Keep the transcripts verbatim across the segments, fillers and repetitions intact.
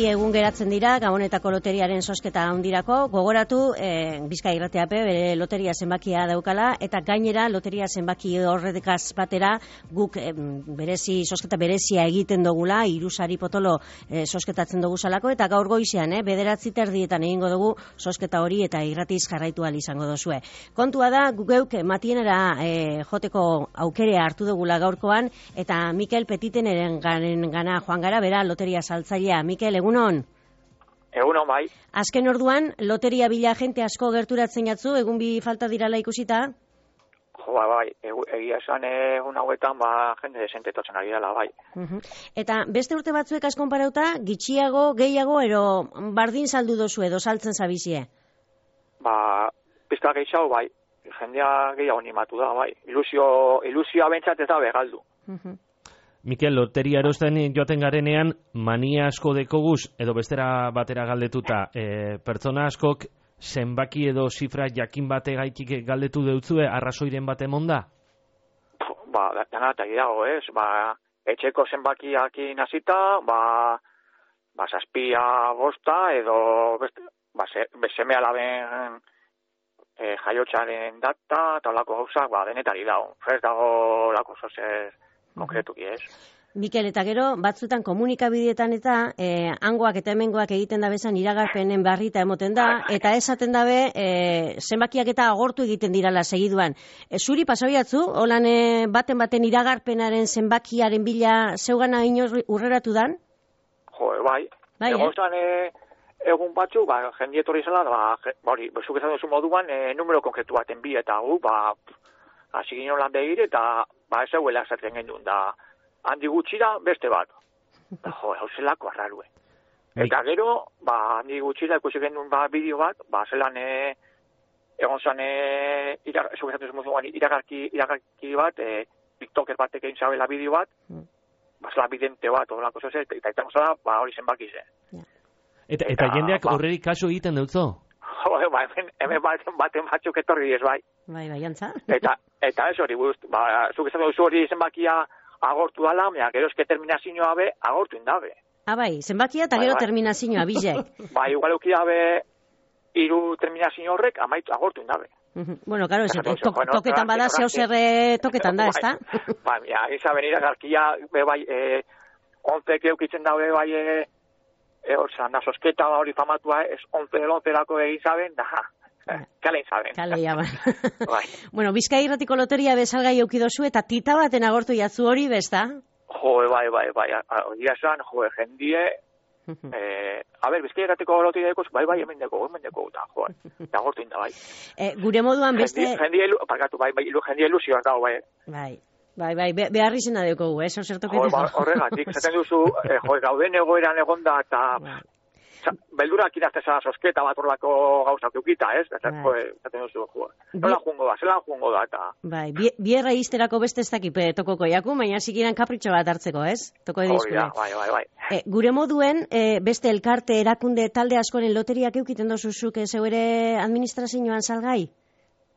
bi egun geratzen dira Gabonetako loteriaren zozketa handirako. Gogoratu, e, Bizkaia Irratiape bere loteria zenbakia daukala, eta gainera loteria zenbaki horrekaz batera guk e, berezi, zozketa berezia egiten dugula, irusari potolo e, zozketatzen dugu salako, eta gaur goizean, e, bederatzi terdietan egingo dugu zozketa hori eta irratiz jarraitu ahal izango duzue. Kontua da, geuk matienera e, joteko aukerea hartu dugula gaurkoan, eta Mikel Petiteneren garen gana joan gara, bera loteria saltzailea. Mikel, egunon? Egunon, bai. Azken orduan, loteria bila jente asko gerturatzen jatzu, egun bi falta dirala ikusita? Jo, bai, egia esan egun hauetan, ba, jende desente totzen ari dela, bai. Uh-huh. Eta beste urte batzuek askon parauta, gitxiago, gehiago, ero bardin saldu dozu edo saltzen zabizie? Ba, pizka gehiago, bai. Jendea gehiago animatu da, bai. Ilusio, ilusioa bentsat ez da begaldu. Uh-huh. Mikel, loteria erosten joaten garenean, mania asko dekoguz, edo bestera batera galdetuta, e, pertsona askok zenbaki edo zifra jakin bate gaitik galdetu deutzue, arrazoiren bat emonda? Ba, dana eta dago, ez? Ba, etxeko zenbakiakin hasita, ba, ba, zazpia bosta, edo beste, ba, seme alaben e, jaiotxaren data, eta olako gauzak, ba, denetari dago. Ez dago lako zozer konkretuki, ez? Mikel, eta gero, batzutan komunikabideetan eta eh, hangoak eta hemengoak egiten da bezan iragarpenen barrita emoten da, eta esaten dabe eh, zenbakiak eta agortu egiten dirala segiduan. E, zuri pasabiatzu, holan eh, baten baten iragarpenaren zenbakiaren bila zeugana inoz urreratu dan? Jo, bai. Bai, egon zan, eh? Egun batzu, ba, jendietorri zela, ba, hori, zuk esan duzu moduan, e, numero konkretu baten bi, eta gu, ba, hasi ginen lan begir, eta, ba, ez eguela esaten gendun, da, handi gutxira beste bat. Da, jo, hau zelako arrarue. Eta gero, ba, handi gutxira ikusi gendun, ba, bideo bat, ba, zelan, e, egon zan, e, irak, zuk esan duzu moduan, iragarki, iragarki bat, e, TikToker batek egin zabela bideo bat, mm. ba, zela bidente bat, horrelako zoze, eta eta eta zela, ba, hori zenbaki ze. Yeah. Eta, eta, eta jendeak horreri ba, kaso egiten dutzo? Jo, ba, hemen, hemen baten, baten batzuk etorri ez, bai. Bai, bai, antza. Eta, eta ez hori, gust, ba, zuk esan duzu hori zenbakia agortu dala, mea, gero eske terminazioa be, agortu indabe. Ah, bai, zenbakia eta gero bai, bai. Terminazioa, bizek. Ba, igual eukidabe, iru terminazio horrek, amaitu agortu indabe. Uh-huh. Bueno, claro, ese, to, bueno, toketan bada, zeu zerre toketan da, ez da? Ba, mea, izaben iragarkia, be, bai, eh, onzek eukitzen dabe, bai, eh, e, orza, na, sosketa hori famatua, ez onze elonzerako egin zaben, da, kale zaben. Kale, ja, bai. Bueno, Bizkaia Irratiko loteria bezalgai eukidozu, eta tita baten agortu jatzu hori, besta? Jo, bai, bai, bai, hori esan, jo, jendie, eh, a ber, Bizkaia Irratiko loteria dekos, bai, bai, hemen deko, hemen deko, da, jo, da agortu inda, bai. Eh, gure moduan beste... Jendie, parkatu, bai, bai, jendie ilusioa dago, bai. Bai. Bai, bai, be, behar izena dekogu, eh, zertoketan. Jo, horregatik, zaten duzu, eh, jo, gauden egoeran egonda, eta beldurak irazteza sosketa bat horrelako gauzak eukita, ez? Zaten duzu, jo, nola jungo da, zelan jungo da, eta... Bai, bierra izterako beste ez dakipe tokoko jaku, baina sikiran kapritxo bat hartzeko, ez? Toko edizkune. Bai, bai, bai. E, gure moduen, e, beste elkarte, erakunde, talde askoren loteriak eukiten dozuzuk, zeu ere administrazioan salgai?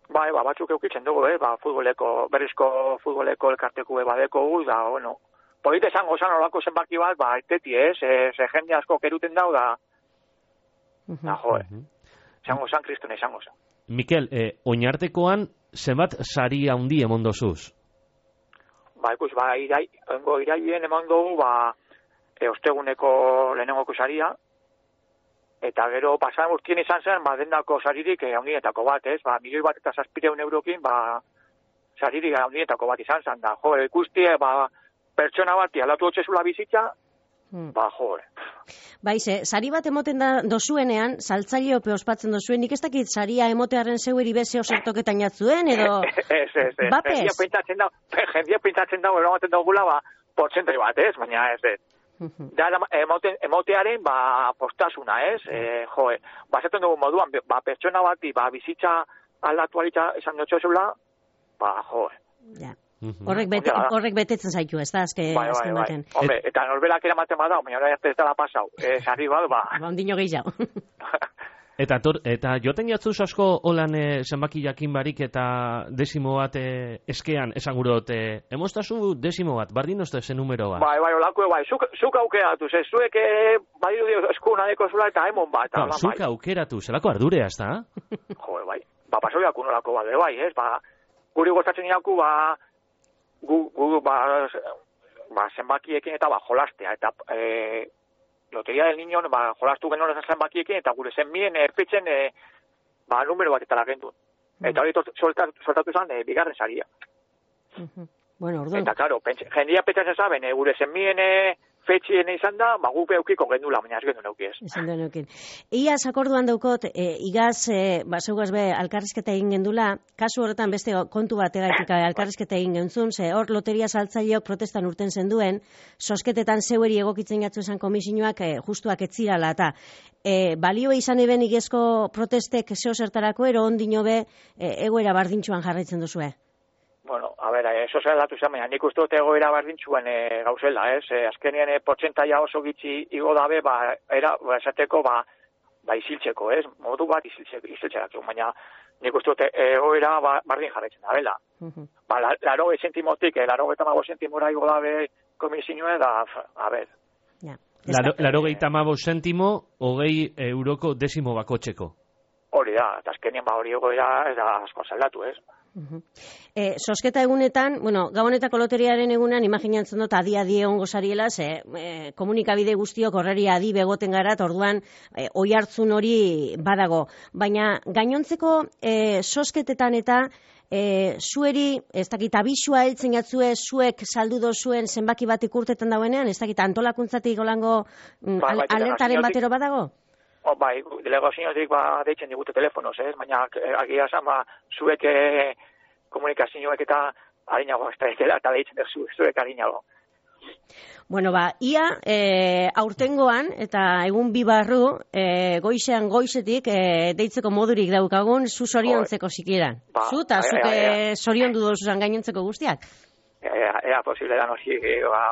Bai, ba, batzuk eukitzen dugu, eh? Ba, futboleko, berrizko futboleko elkarteku badeko gu, da, bueno, polite esango zan olako zenbaki bat, ba, eteti, ez? Eh? Ze jende asko keruten dau, da, uh-huh. da, jo, eh? Esango zan, kristone, esango zan. Mikel, eh, oinartekoan, zenbat sari handi emon dozuz? Ba, ikus, ba, irai, engo iraien emon dugu, ba, e, osteguneko lehenengoko saria, eta gero pasan urtien izan zen, ba, dendako saririk eh, handietako bat, ez? Ba, milioi bat eta zazpireun eurokin, ba, saririk handietako bat izan zen, da, jo, ikustie, ba, pertsona bati alatu hotxezula bizitza, hmm. ba, jo. Bai, ze, sari bat emoten da dozuenean, saltzaileo ospatzen dozuen, nik ez dakit saria emotearen zeueri bezeo zertoketan jatzuen, edo... Ez, ez, ez. Bapes? Jendia pintatzen da, jendia pintatzen da, eromaten daugula, ba, portzentri bat, ez? Baina ez, ez. Da, emote, emotearen, ba, postasuna, ez? E, jo, bazetan dugu moduan, ba, pertsona bati, ba, bizitza aldatu alitza esan dutxo zeula, ba, jo. Ja. Horrek, bete, horrek betetzen zaitu, ez da, azke, bai, azken bai, baten. Bai. Hombre, eta norberak eramaten badau, baina hori ez dela pasau. E, sarri bat, ba. Ba, ondino gehiago. Eta, tor, eta joten jatzuz asko holan e, zenbaki jakin barik eta desimo bat e, eskean, esan gurot, e, emostazu desimo bat, bardin ozte zen numero bat. Bai, bai, olako, bai, zuk, zuk aukeratu, ze, zuek e, badiru dio eskuna deko zula eta emon bat. No, zuk bai. aukeratu, zelako ardurea, ez da? Jo, bai, ba, pasoiak unolako bat, bai, ez, ba, guri gozatzen inaku, ba, gu, gu, ba, ba, zenbakiekin eta, ba, jolastea, eta, e, Loteria del Niño, ba, jolastu genuen zenbakiekin, eta gure zenbien erpetzen, e, ba, numero bat eta lagendun. Eta hori soltatu, soltatu zen, e, bigarren saria. Uh-huh. Bueno, orduan. Eta, karo, jendia petzatzen zaben, e, gure zenbien e, fetxien izan da, ba, gupe eukiko gendula, baina ez gendun eukiez. Izan duen eukin. Iaz akorduan daukot, e, igaz, e, ba, zeugaz be, alkarrizketa egin gendula, kasu horretan beste kontu bat egaitik alkarrizketa egin gentzun, ze hor loteria saltzaileok protestan urten zenduen, sosketetan zeueri egokitzen jatzu esan komisioak e, justuak etzirala, eta e, balio izan eben igezko protestek zeo zertarako, ero ondino be, e, egoera bardintxuan jarraitzen duzue. Bueno, a ver, eso se datu zen, baina nik uste dut egoera berdintxuan e, gauzela, ez? E, azkenien e, portzentaia oso gitxi igo dabe, ba, era, ba, esateko, ba, ba, isiltzeko, ez? Modu bat isiltzeko, isiltzeko, baina nik uste dut egoera ba, bardin jarraitzen da, bela. Uh-huh. Ba, la, laro sentimotik, e, laro eta mago sentimora igo dabe komisioa, da, a ver. Ja. Laro, laro geita mago sentimo, hogei euroko desimo bakotxeko. Hori da, eta azkenien ba hori egoera, eta asko zaldatu, ez? Uh-huh. E, sosketa egunetan, bueno, gabonetako loteriaren egunan, imaginatzen dut adi-adi egon gozariela, ze e, komunikabide guztiok horreri adi begoten gara, orduan e, oi hartzun hori badago. Baina gainontzeko e, sosketetan eta e, zueri, ez dakit abisua heltzen jatzue, zuek saldu dozuen zenbaki bat ikurtetan dauenean, ez dakit antolakuntzatik golango ba, al, alertaren batero badago? O, bai, delegaziotik ba, deitzen digute telefonoz, ez? Baina agia esan, ba, zuek e, komunikazioek eta harinago, eta deitzen zu, zuek harinago. Bueno, ba, ia e, aurtengoan, eta egun bi barru, e, goizean goizetik, e, deitzeko modurik daukagun, zu zoriontzeko zikieran. Ba, zu, eta zuke zorion du dozuzan gainontzeko guztiak? Ea, ea posible da nozi, ba,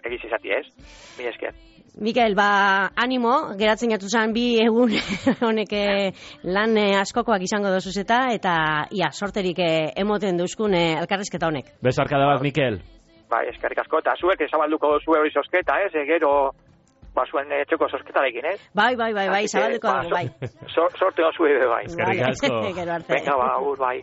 egiz izati ez, mi esker. Mikael, ba, animo, geratzen jatu zen bi egun honek lan askokoak izango dozuz eta, eta ia, sorterik emoten duzkun elkarrizketa honek. Besarkada bat, Mikel. Bai, eskerrik asko, eta zuek zabalduko zue hori sosketa, ez, gero, ba, zuen etxeko sosketarekin, ez? Bai, bai, bai, bai, zabalduko dago, bai. Sorte hon zue, bai. Eskerrik asko. Gero arte. Venga, ba, ur, bai.